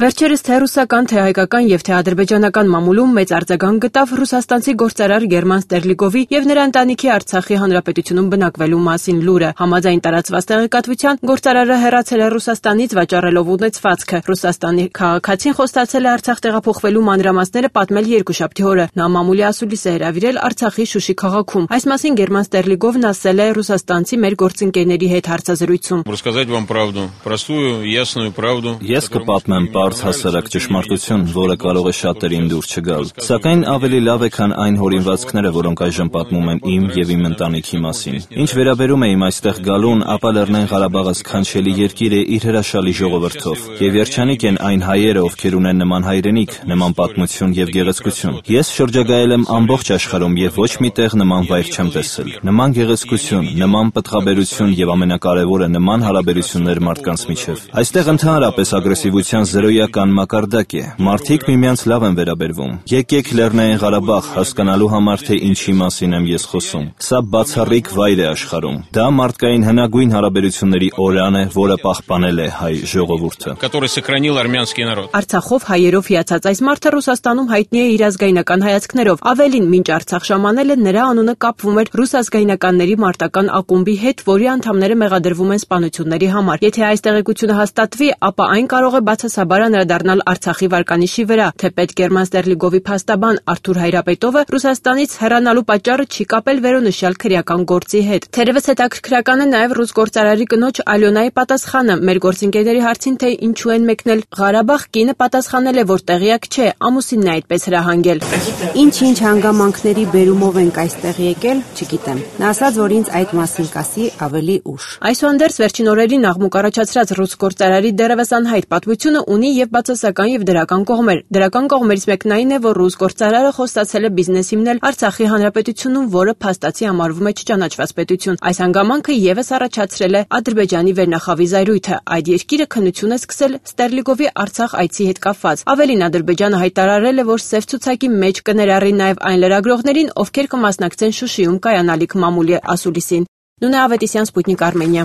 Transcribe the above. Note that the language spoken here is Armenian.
Վերջերս թե ռուսական, թե հայկական եւ թե ադրբեջանական մամուլում մեծ արձագանք գտավ ռուսաստանցի գործարար Գերման Ստերլիգովի եւ նրա ընտանիքի Արցախի հանրապետությունում բնակվելու մասին լուրը։ Համաձայն տարածված տեղեկատվության, գործարարը հեռացել է Ռուսաստանից վաճառելով ունեցվածքը։ Ռուսաստանի քաղաքացին խոստացել է Արցախ տեղափոխվելու մանրամասները պատմել երկուշաբթի օրը։ Նա մամուլի ասուլիս է հրավիրել Արցախի Շուշի քաղաքում։ Այս մասին Գերման Ստերլիգովն ասել է ռուսաստանցի մեր գործընկերների հետ հարցազրույցում։ Ես կպատմեմ բարձ հասարակ ճշմարտություն, որը կարող է շատերին դուր չգալ։ Սակայն ավելի լավ է, քան այն հորինվածքները, որոնք այժմ պատմում են իմ եւ իմ ընտանիքի մասին։ Ինչ վերաբերում է իմ այստեղ գալուն, ապա Լեռնային Ղարաբաղը սքանչելի երկիր է իր հրաշալի ժողովրդով։ Եվ երջանիկ են այն հայերը, ովքեր ունեն նման հայրենիք, նման պատմություն եւ գեղեցկություն։ Ես շրջագայել եմ ամբողջ աշխարհում եւ ոչ մի տեղ նման վայր չեմ տեսել։ Նման գեղեցկություն, նման պտղաբերություն եւ ամենակարևորը նման հարաբերություններ մարդկանց միջեւ։ Այստեղ ընդհանրապես ագրեսիվության զրոյական մակարդակ է։ Մարդիկ միմյանց լավ են վերաբերվում։ Եկեք Լեռնային Ղարաբաղ հասկանալու համար, թե ինչի մասին եմ ես խոսում։ Սա բացառիկ վայր է աշխարհում։ Դա մարդկային հնագույն հարաբերությունների օրրան է, որը պահպանել է հայ ժողովուրդը։ Արցախով հայերով հիացած այս մարդը Ռուսաստանում հայտնի է իր ազգայնական հայացքներով։ Ավելին, մինչ Արցախ ժամանելը նրա անունը կապվում էր ռուս ազգայնականների մարտական ակումբի հետ, որի անդամները մեղադրվում են սպանությունների համար։ Եթե այս տեղեկությունը հաստատվի, ապա այն կարող է բացասաբար անդրադառնալ Արցախի վարկանիշի վրա։ Թեպետ Գերման Ստերլիգովի փաստաբան Արթուր Հայրապետովը Ռուսաստանից հեռանալու պատճառը չի կապել վերոնշյալ քրեական գործի հետ։ Թերևս հետաքրքրական է նաև ռուս գործարարի կնոջ Ալյոնայի պատասխանը մեր գործընկերների հարցին, թե ինչու են մեկնել Ղարաբաղ, կինը պատասխանել է, որ տեղյակ չէ, ամուսինն է այդպես հրահանգել։ Ինչ հանգամանքների բերումով ենք այստեղ եկել, չգիտեմ։ Նա ասաց, որ ինձ այդ մասին կասի ավելի ուշ։ Այսուհանդերձ վերջին օրերին աղմուկ առաջացրած ռուս գործարարի դեռևս անհայտ պատմությունը ունի եւ բացասական եւ դրական կողմեր։ Դրական կողմերից մեկն այն է, որ ռուս գործարարը խոստացել է բիզնես հիմնել Արցախի հանրապետությունում, որը փաստացի համարվում է չճանաչված պետություն։ Այս հանգամանքը եւս առաջացրել է Ադրբեջանի վերնախավի զայրույթը։ Այդ երկիրը քննություն է սկսել Ստերլիգովի Արցախ այցի հետ կապված։ Ավելին, Ադրբեջանը հայտարարել է, որ սև ցուցակի մեջ կներառի նաև այն լրագրողներին, ովքեր կմասնակցեն Շուշիում կայանալիք մամուլի ասուլիսին։ Նունե Ավետիսյան, Սպուտնիկ Արմենիա։